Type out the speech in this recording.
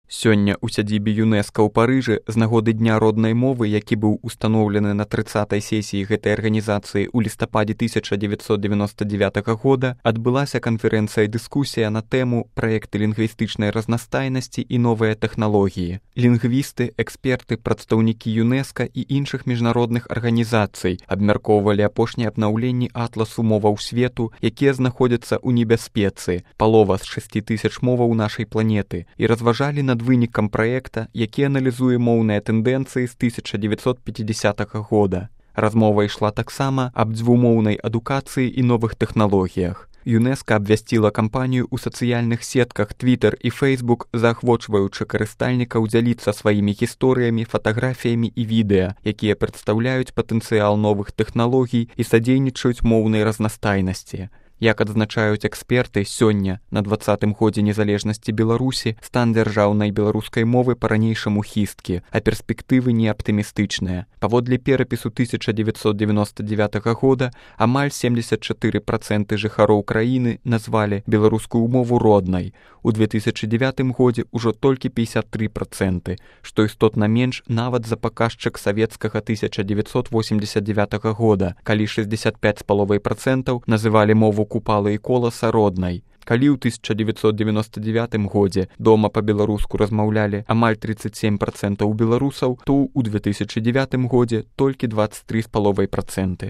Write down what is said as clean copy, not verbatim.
Сёння ў сядзібе ЮНЕСКА ў Парыжы з нагоды Дня роднай мовы, які быў устаноўлены на 30-й сесіі гэтай арганізацыі ў лістападзе 1999 года, адбылася канферэнцыя-дыскусія на тэму «Праекты лінгвістычнай разнастайнасці і новыя тэхналогіі». Лінгвісты, эксперты, прадстаўнікі ЮНЕСКА і іншых міжнародных арганізацый абмяркоўвалі апошнія абнаўленні атласу моваў свету, якія знаходзяцца ў небяспецы, палова з 6000 моваў нашай планеты, і разважалі над вынікам праекта, які аналізуе моўныя тэндэнцыі з 1950 года. Размова ішла таксама аб дзвюмоўнай адукацыі і новых тэхналогіях. ЮНЕСКА абвясціла кампанію ў сацыяльных сетках Twitter і Facebook, заахвочваючы карыстальнікаў дзяліцца сваімі гісторыямі, фатаграфіямі і відэа, якія прадстаўляюць патэнцыял новых тэхналогій і садзейнічаюць моўнай разнастайнасці. Як адзначаюць эксперты, сёння, на 20-м годзе незалежнасці Беларусі, стан дзяржаўнай беларускай мовы па-ранейшаму хісткі, а перспектывы не аптымістычныя. Паводле перапісу 1999 года амаль 74% жыхароў краіны назвалі беларускую мову роднай. У 2009 годзе ўжо толькі 53%, што істотна менш нават за паказчык савецкага 1989 года, калі 65,5% называлі мову Купалы і Коласа роднай. Калі ў 1999 годзе дома па-беларуску размаўлялі амаль 37% беларусаў, то ў 2009 годзе толькі 23,5%.